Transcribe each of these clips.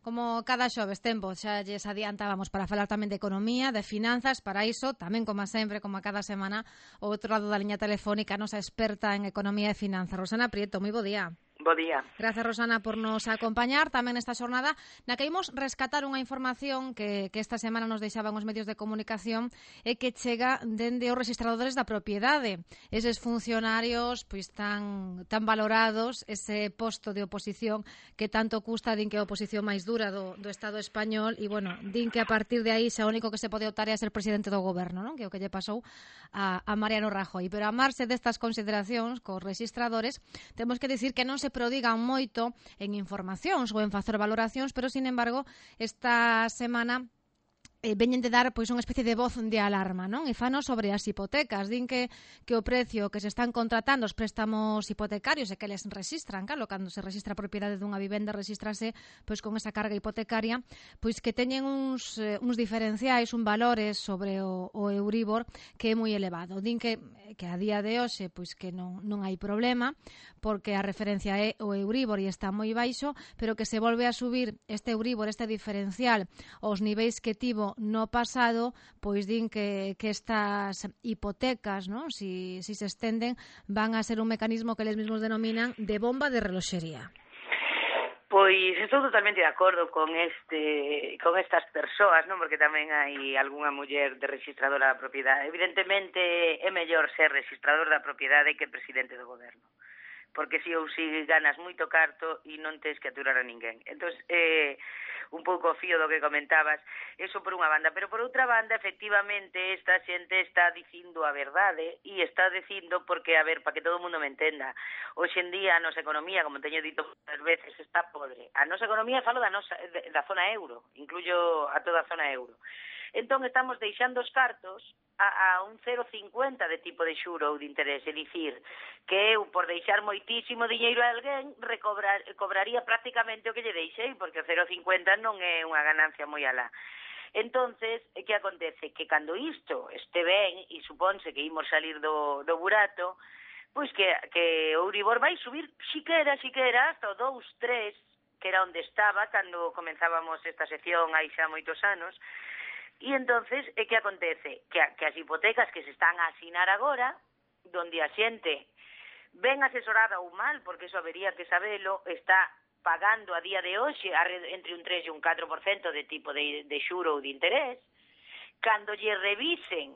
Como cada xoves tempo, xa lles adiantábamos para falar tamén de economía, de finanzas, para iso, tamén como sempre, como a cada semana, ao outro lado da liña telefónica, a nosa experta en economía e finanzas, Rosana Prieto. Moi bo día. Bo día. Grazas, Rosana, por nos acompañar tamén nesta xornada na que imos rescatar unha información que esta semana nos deixaban os medios de comunicación e que chega dende os registradores da propiedade. Eses funcionarios pois tan valorados, ese posto de oposición que tanto custa, din que é a oposición máis dura do Estado español e, bueno, din que a partir de aí xa o único que se pode optar é a ser presidente do goberno, non? Que é o que lle pasou a Mariano Rajoy. Pero a marxe destas consideracións cos registradores, temos que dicir que non se prodigan moito en informacións ou en facer valoracións, pero, sin embargo, esta semana veñen de dar pois unha especie de voz de alarma, non? E fano sobre as hipotecas. Din que o precio que se están contratando os préstamos hipotecarios e que les registran, claro, cando se registra a propiedade dunha vivenda, registrase pois con esa carga hipotecaria, pois que teñen uns diferenciais, un valores sobre o Euribor que é moi elevado. Din que a día de hoxe pois que non hai problema, porque a referencia é o Euribor e está moi baixo, pero que se volve a subir este Euribor, este diferencial, aos niveis que tivo no pasado, pois din que estas hipotecas, non? Si se estenden, van a ser un mecanismo que eles mesmos denominan de bomba de reloxería. Pois estou totalmente de acordo con estas persoas, non? Porque tamén hai algunha muller de registradora da propiedade. Evidentemente é mellor ser registrador da propiedade que presidente do goberno, porque si ou si ganas moito carto e non tens que aturar a ninguén. Entón, un pouco o fío do que comentabas, eso por unha banda, pero por outra banda, efectivamente, esta xente está dicindo a verdade e está dicindo porque, a ver, para que todo o mundo me entenda, hoxe en día a nosa economía, como teño dito muchas veces, está podre. A nosa economía, falo da zona euro, incluyo a toda a zona euro. Entón, estamos deixando os cartos a un 0,50 de tipo de xuro ou de interés, é dicir, que eu, por deixar moitísimo diñeiro a alguén, cobraría prácticamente o que lle deixei, porque o 0,50 non é unha ganancia moi alá. Entonces, que acontece? Que cando isto este ben, e supónse que imos salir do burato, pois que o Euribor vai subir xiquera hasta o 2,3, que era onde estaba cando comenzábamos esta sección hai xa moitos anos. E entonces, que acontece? Que as hipotecas que se están a asinar agora, donde a xente ben asesorada ou mal, porque eso habería que sabelo, está pagando a día de hoxe entre un 3 e un 4% de tipo de xuro ou de interés, cando lle revisen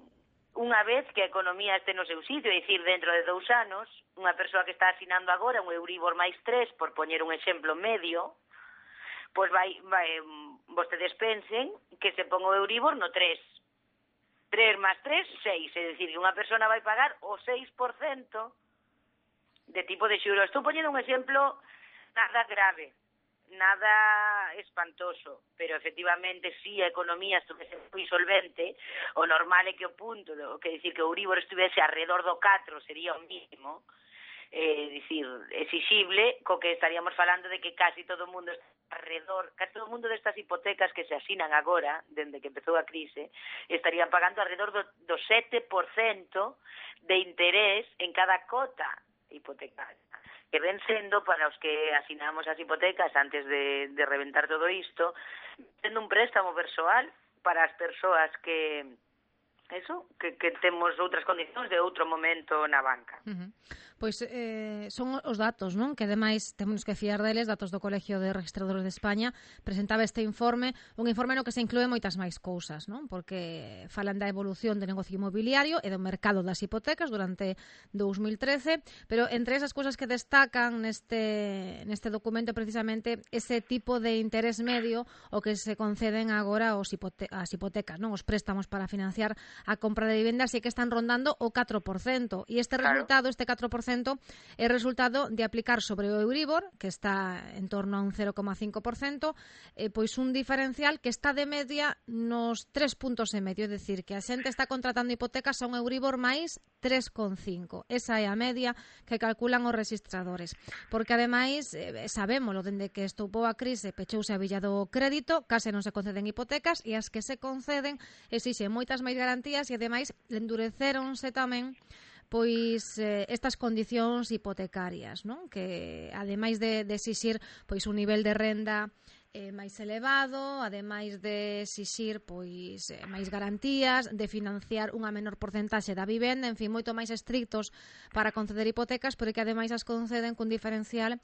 unha vez que a economía este no seu sitio, é dicir, dentro de 2 anos, unha persoa que está asinando agora un Euribor máis 3, por poñer un exemplo medio, pois vostedes pensen que se pon o Euribor no 3. 3 más 3, 6. É dicir, que unha persona vai pagar o 6% de tipo de xuro. Estou poñendo un exemplo nada grave, nada espantoso, pero efectivamente si a economía estuvese moi solvente, o normal é que o punto, que decir que o Euribor estivese alrededor do 4 sería o mínimo, dicir, exixible, co que estaríamos falando de que casi todo o mundo casi todo o mundo destas hipotecas que se asinan agora, dende que empezou a crise, estarían pagando alrededor do 7% de interés en cada cota hipotecaria, que ven sendo, para os que asinamos as hipotecas antes de reventar todo isto, sendo un préstamo persoal para as persoas que temos outras condicións de outro momento na banca. Pois son os datos, non? Que ademais temos que fiar deles, datos do Colegio de Registradores de España, presentaba este informe, un informe no que se inclúe moitas máis cousas, non? Porque falan da evolución do negocio inmobiliario e do mercado das hipotecas durante 2013, pero entre esas cousas que destacan neste documento precisamente ese tipo de interés medio o que se conceden agora as hipotecas, non? Os préstamos para financiar a compra de vivendas e que están rondando o 4%, e este resultado, este 4%, é resultado de aplicar sobre o Euribor, que está en torno a un 0,5%, pois un diferencial que está de media nos 3,5 puntos, é dicir, que a xente está contratando hipotecas a un Euribor máis 3,5. Esa é a media que calculan os registradores. Porque, ademais, sabémolo, dende que estoupou a crise, pechouse a billa do crédito, case non se conceden hipotecas, e as que se conceden exixen moitas máis garantías e, ademais, endureceronse tamén pois estas condicións hipotecarias, non? Que ademais de exixir pois un nivel de renda máis elevado, ademais de exixir pois máis garantías, de financiar unha menor porcentaxe da vivenda, en fin, moito máis estrictos para conceder hipotecas, pero que ademais as conceden cun diferencial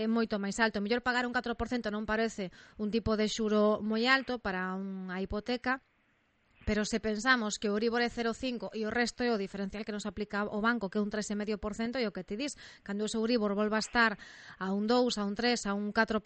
moito máis alto. Mellor pagar un 4% non parece un tipo de xuro moi alto para unha hipoteca, pero se pensamos que o Euribor é 0,5 e o resto é o diferencial que nos aplica o banco, que é un 3,5%, e o que te dis, cando o Euribor volva a estar a un 2, a un 3, a un 4%,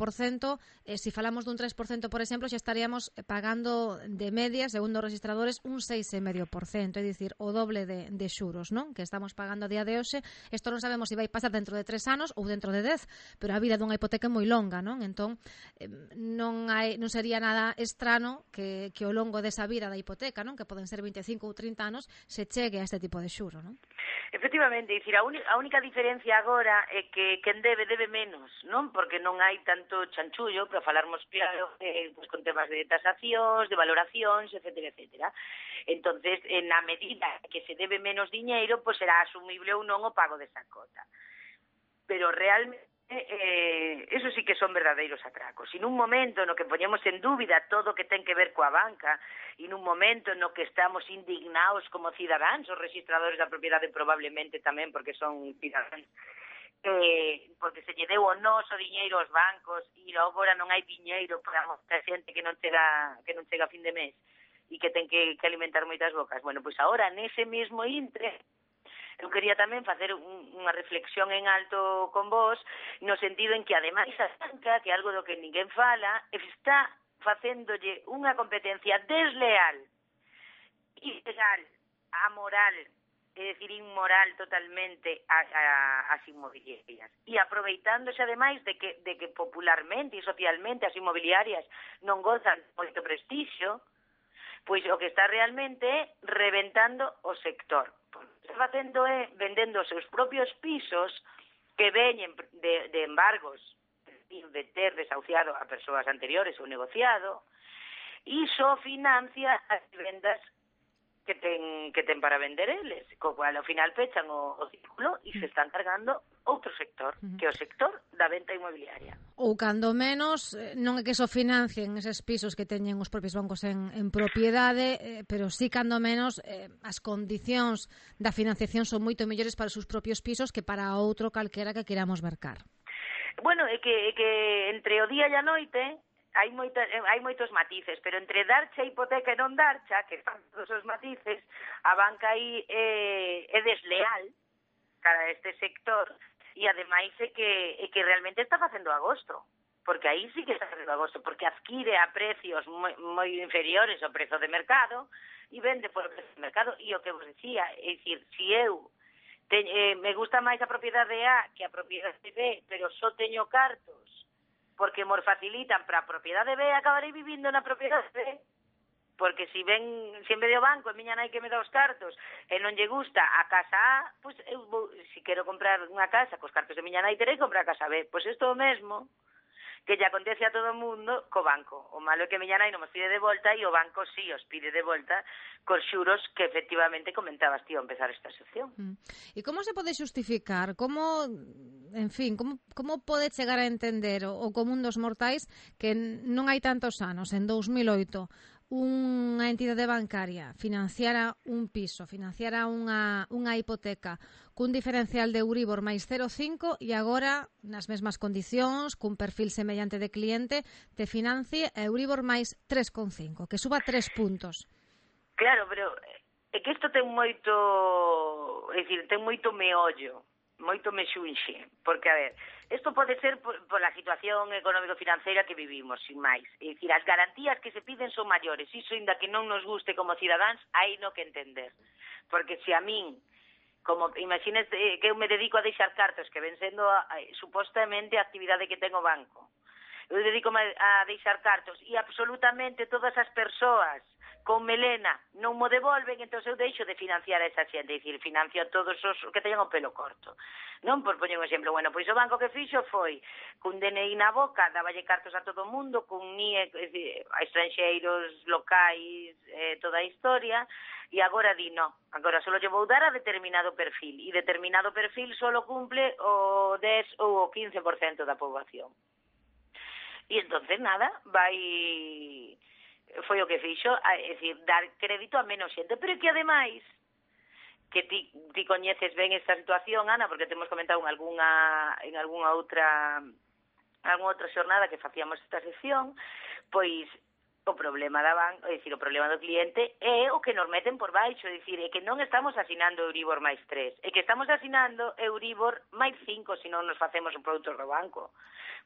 se falamos dun 3%, por exemplo, xa estaríamos pagando de media, segundo os registradores, un 6,5%, é dicir, o doble de xuros, non? Que estamos pagando a día de hoxe. Isto non sabemos se vai pasar dentro de 3 anos ou dentro de 10, pero a vida dunha hipoteca é moi longa, non? Entón, non sería nada estrano que ao longo desa vida da hipoteca, non? Que poden ser 25 ou 30 anos, se chegue a este tipo de xuro, non? Efectivamente, dicir, a única diferencia agora é que quen debe menos, non? Porque non hai tanto chanchullo, para falarmos claro, pues, con temas de tasacións, de valoracións, etcétera, etcétera. Entonces, na medida que se debe menos diñeiro, pues será asumible ou non o pago desa cota. Pero realmente eso sí que son verdadeiros atracos. E nun momento no que poñemos en dúbida todo o que ten que ver coa banca, e nun momento no que estamos indignados como cidadáns, os registradores da propiedade probablemente tamén porque son cidadáns, porque se lle deu o noso diñeiro aos bancos e agora non hai diñeiro para mostrar xente que non chega a fin de mes e que ten que alimentar moitas bocas. Bueno, pois agora nese mesmo intre eu quería tamén facer unha reflexión en alto con vos, no sentido en que, ademais, a banca, que é algo do que ninguén fala, está facéndolle unha competencia desleal, ilegal, amoral, é dicir, inmoral totalmente ás inmobiliarias. E aproveitándose, ademais, de que popularmente e socialmente as inmobiliarias non gozan moito prestixio, pois o que está realmente é reventando o sector. O que está facendo é vendendo os seus propios pisos que veñen de embargos, de ter desahuciado a persoas anteriores ou negociado, e só financia as vendas que ten para vender eles, co cual ao final pechan o círculo e se están cargando outro sector, que é o sector da venta inmobiliaria. Ou cando menos, non é que só financien eses pisos que teñen os propios bancos en propiedade, pero sí cando menos as condicións da financiación son moito mellores para os seus propios pisos que para outro calquera que queramos mercar. Bueno, é que entre o día e a noite hai moitos matices, pero entre darche a hipoteca e non darcha, que están todos os matices, a banca aí é desleal cara a este sector e ademais é que realmente está facendo agosto, porque aí sí que está facendo agosto, porque adquire a precios moi inferiores ao prezo de mercado e vende por o prezo de mercado. E o que vos decía, é dicir, se eu me gusta máis a propiedade A que a propiedade B, pero só teño cartos porque me facilitan para a propiedade B, acabarei vivindo na propiedade B, porque se en vez do banco a miña nai que me dá os cartos e non lle gusta a casa A, pois eu vou, se quero comprar unha casa cos cartos de miña nai, terei que comprar a casa B. Pois isto é o mesmo que lle acontece a todo o mundo co banco. O malo é que miña nai non os pide de volta e o banco sí os pide de volta cos xuros que efectivamente comentabas ti ao empezar esta sección. E como se pode xustificar? Como pode chegar a entender o común dos mortais que non hai tantos anos, en 2008, unha entidade bancaria financiara un piso, financiara unha hipoteca cun diferencial de Euribor máis 0,5 e agora, nas mesmas condicións, cun perfil semellante de cliente, te financie a Euribor máis 3,5, que suba 3 puntos. Claro, pero é que isto ten moito, é dicir, ten moito meollo, moito mexunxe, porque, a ver, isto pode ser pola situación económico-financeira que vivimos, sin máis. É dicir, as garantías que se piden son maiores, iso ainda que non nos guste como cidadáns, hai no que entender. Porque se a min, como imagines que eu me dedico a deixar cartos, que ven sendo supostamente a actividade que ten o banco, eu dedico a deixar cartos e absolutamente todas as persoas con melena non mo devolven, entón eu deixo de financiar a esa xente, é dicir, financio a todos os que teñan o pelo corto. Non, por poñer un exemplo, bueno, pois o banco que fixo foi cun DNI na boca, dáballe cartos a todo o mundo, cun NIE a estranxeiros, locais, toda a historia, e agora di, no, agora só lle vou dar a determinado perfil, e determinado perfil só cumple o 10 ou o 15% da poboación. E entonces nada, foi o que fixo, é dicir, dar crédito a menos xente, pero que ademais que ti coñeces ben esta situación, Ana, porque temos comentado en algunha outra xornada que facíamos esta sección, pois o problema da banca, é dicir, o problema do cliente é o que nos meten por baixo, é dicir, é que non estamos asinando Euribor máis 3, é que estamos asinando Euribor máis 5 se non nos facemos os produtos do banco,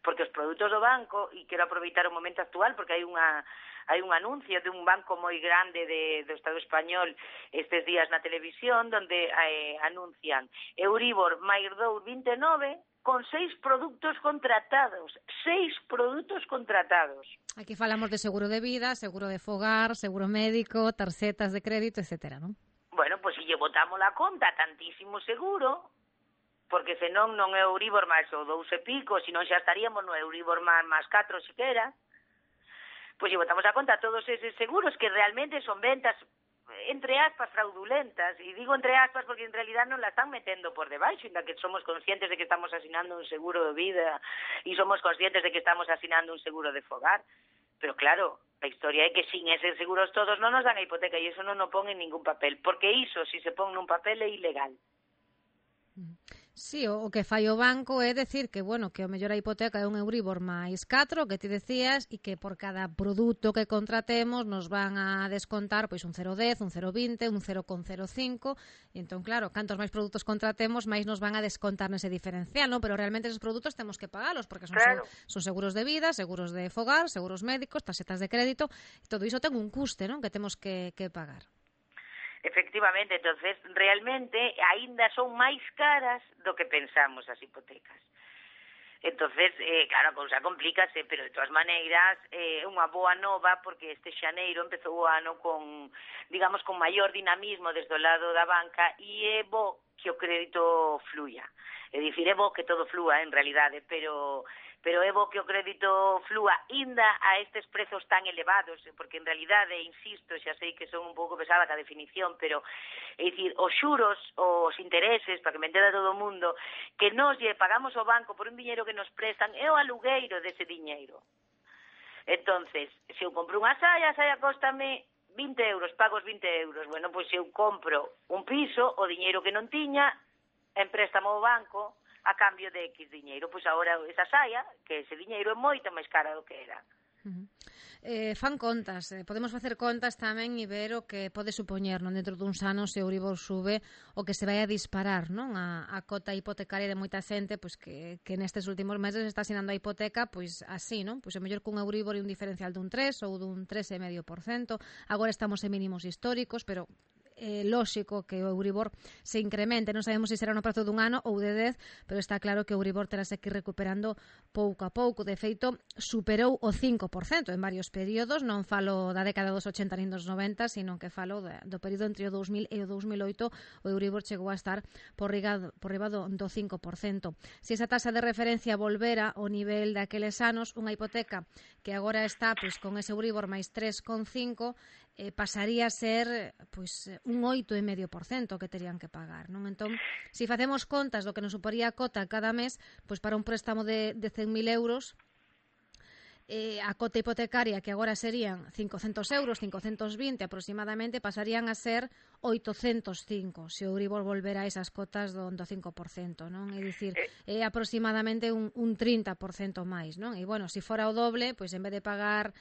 porque os produtos do banco, e quero aproveitar o momento actual, porque hai un anuncio de un banco moi grande do Estado español estes días na televisión, donde anuncian Euribor máis 2,29 con 6 produtos contratados. 6 produtos contratados. Aquí falamos de seguro de vida, seguro de fogar, seguro médico, tarxetas de crédito, etcétera, non? Bueno, pois se lle botamos a conta tantísimo seguro, porque senón non é Euribor máis o 2 e pico, senón xa estaríamos no Euribor máis 4 siquera, pois lle botamos a conta todos eses seguros que realmente son ventas entre aspas fraudulentas, e digo entre aspas porque en realidad non la están metendo por debaixo, inda que somos conscientes de que estamos asinando un seguro de vida e somos conscientes de que estamos asinando un seguro de fogar, pero claro, a historia é que sin eses seguros todos non nos dan a hipoteca e iso non o pon en ningún papel, porque iso, si se pon nun papel, é ilegal. Sí, o que fai o banco é decir que, bueno, que o mellor a hipoteca é un Euribor máis 4, que ti decías, e que por cada produto que contratemos nos van a descontar pois un 0,10, un 0,20, un 0,05, e entón, claro, cantos máis produtos contratemos, máis nos van a descontar nese diferencial, non? Pero realmente esos produtos temos que pagalos, porque son seguros de vida, seguros de fogar, seguros médicos, tarxetas de crédito, e todo iso ten un custe, non? Que temos que pagar. Efectivamente, entonces realmente aínda son máis caras do que pensamos as hipotecas. Entonces, claro, a cousa complícase, pero de todas maneiras é unha boa nova porque este xaneiro empezou o ano con, digamos, con maior dinamismo desde o lado da banca e é bo que o crédito fluya. É dicir, é bo que todo flúa en realidade, pero é bo que o crédito flúa inda a estes prezos tan elevados, porque en realidade, insisto, xa sei que son un pouco pesada a definición, pero é dicir, os xuros, os intereses, para que me entenda todo o mundo, que nos lle pagamos ao banco por un diñeiro que nos prestan, é o alugueiro dese diñeiro. Entonces, se eu compro unha saia, a saia cóstame 20 euros, pago os 20 euros. Bueno, pois se eu compro un piso, o diñeiro que non tiña, empréstamo ao banco, a cambio de X diñeiro. Pois agora esa saia, que ese diñeiro é moito máis cara do que era. Fan contas, podemos facer contas tamén e ver o que pode supoñer non dentro duns anos se o Euribor sube o que se vai a disparar non a cota hipotecaria de moita xente pois que nestes últimos meses está asinando a hipoteca pois así, non? Pois é mellor cun Euribor e un diferencial dun 3 ou dun 3,5%. Agora estamos en mínimos históricos, pero lóxico que o Euribor se incremente, non sabemos se será no prazo dun ano ou de 10, pero está claro que o Euribor terase que ir recuperando pouco a pouco. De feito, superou o 5% en varios períodos, non falo da década dos 80 nin dos 90, sino que falo do período entre o 2000 e o 2008, o Euribor chegou a estar por riba do 5%. Se esa taxa de referencia volvera ao nivel daqueles anos, unha hipoteca que agora está pois con ese Euribor máis 3,5 pasaría a ser pois un 8,5% que terían que pagar, non? Entón, se facemos contas do que nos suporía a cota cada mes, pois para un préstamo de 100.000 euros, a cota hipotecaria que agora serían 500 euros, 520 aproximadamente, pasarían a ser 805 se o Euribor volvera a esas cotas do 5%, non? É dicir, é aproximadamente un 30% máis, non? E, bueno, se fora o doble, pois en vez de pagar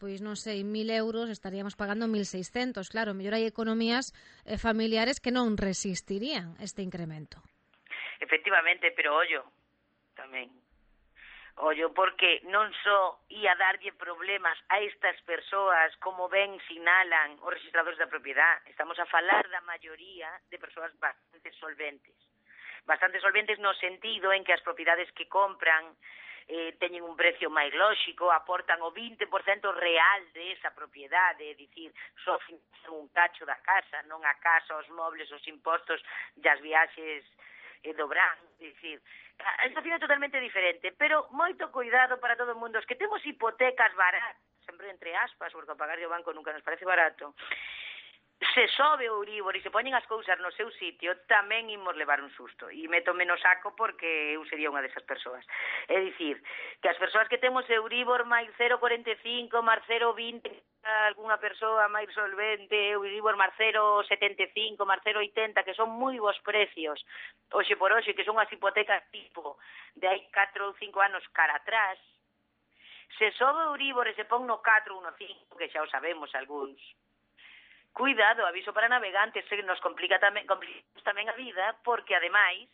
pois non sei, 1.000 euros estaríamos pagando 1.600. Claro, mellor hai economías familiares que non resistirían este incremento. Efectivamente, pero ollo tamén. Ollo, porque non só ia darlle problemas a estas persoas, como ben sinalan os registradores da propiedade. Estamos a falar da maioría de persoas bastante solventes. Bastante solventes no sentido en que as propiedades que compran teñen un precio máis lóxico, aportan o 20% real de esa propiedade, é dicir, só financian un cacho da casa, non a casa, os mobles, os impostos e as viaxes do Bran, é dicir, a situación é totalmente diferente, pero moito cuidado para todo o mundo, os que temos hipotecas baratas, sempre entre aspas, porque a pagar o banco nunca nos parece barato, se sobe o Euribor e se poñen as cousas no seu sitio, tamén imos levar un susto. E métome no saco porque eu sería unha desas persoas. É dicir, que as persoas que temos Euribor máis 0,45, máis 0,20, algunha persoa máis solvente, Euribor máis 0,75, máis 0,80, que son moi bons precios, hoxe por hoxe, que son as hipotecas tipo de hai 4 ou 5 anos cara atrás, se sobe o Euribor e se pon no 4 ou no 5, que xa o sabemos algúns, cuidado, aviso para navegantes, que nos complicamos tamén a vida, porque ademais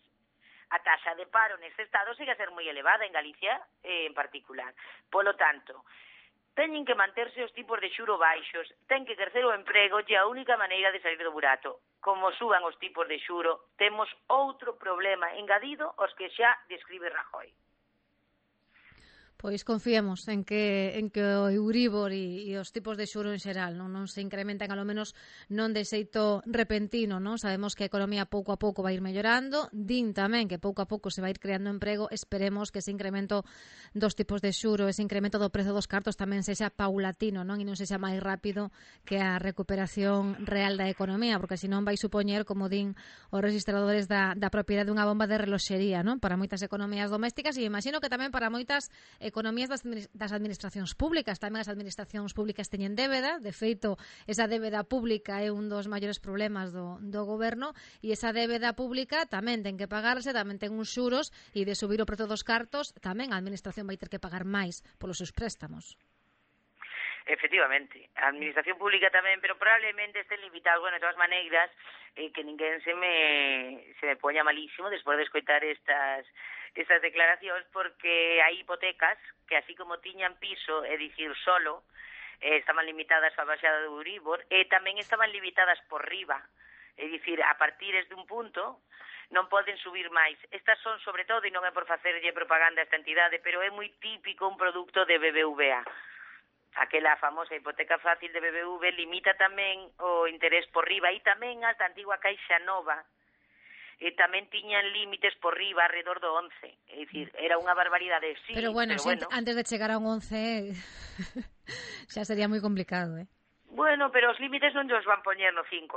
a taxa de paro neste estado sigue a ser moi elevada en Galicia en particular. Polo tanto, teñen que manterse os tipos de xuro baixos, ten que crecer o emprego e a única maneira de salir do burato. Como suban os tipos de xuro, temos outro problema engadido aos que xa describe Rajoy. Pois confiemos en que o Euribor e os tipos de xuro en xeral non se incrementan, a lo menos non de xeito repentino, non? Sabemos que a economía pouco a pouco vai ir mellorando, din tamén que pouco a pouco se vai ir creando emprego, esperemos que ese incremento dos tipos de xuro, ese incremento do prezo dos cartos tamén sexa paulatino, non? E non sexa máis rápido que a recuperación real da economía, porque senón vai supoñer, como din os registradores da propiedade, unha bomba de reloxería, non? Para moitas economías domésticas e imagino que tamén para moitas economías das administracións públicas. Tamén as administracións públicas teñen débeda, de feito, esa débeda pública é un dos maiores problemas do goberno, e esa débeda pública tamén ten que pagarse, tamén ten uns xuros, e de subir o prezo dos cartos, tamén a administración vai ter que pagar máis polos seus préstamos. Efectivamente, a administración pública tamén, pero probablemente estén limitados, bueno, de todas maneiras, que ninguén se me poña malísimo despois de escoitar estas declaracións, porque hai hipotecas que así como tiñan piso, é dicir, solo, estaban limitadas a baixada do Euribor, e tamén estaban limitadas por riba, é dicir, a partir de un punto non poden subir máis. Estas son, sobre todo, e non é por facerlle propaganda a esta entidade, pero é moi típico un produto de BBVA. Aquela famosa hipoteca fácil de BBV limita tamén o interés por riba, e tamén as da antigua Caixa Nova, tamén tiñan límites por riba alrededor do 11. É dicir, era unha barbaridade, sí, pero bueno. Antes de chegar a un 11 xa sería moi complicado, Bueno, pero os límites non os van poñer no 5,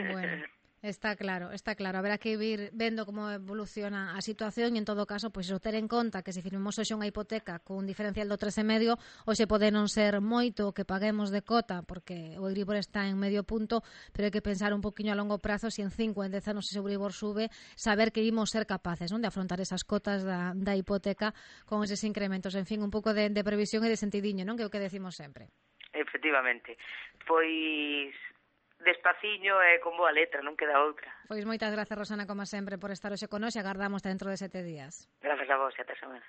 Bueno, está claro. Haberá que ir vendo como evoluciona a situación, e en todo caso, pois ter en conta que se firmemos hoxe unha hipoteca con diferencial do 3,5, hoxe pode non ser moito que paguemos de cota, porque o Euribor está en medio punto, pero hai que pensar un poquinho a longo prazo, se en 5 en 10 anos ese Euribor sube, saber que imos ser capaces, non, de afrontar esas cotas da hipoteca con eses incrementos. En fin, un pouco de previsión e de sentidiño, non, que é o que decimos sempre. Efectivamente. Pois despaciño e con boa letra, non queda outra. Pois moitas grazas, Rosana, como sempre, por estar hoxe connosco, e agardamos dentro de 7 días. Grazas a vos e ata semana.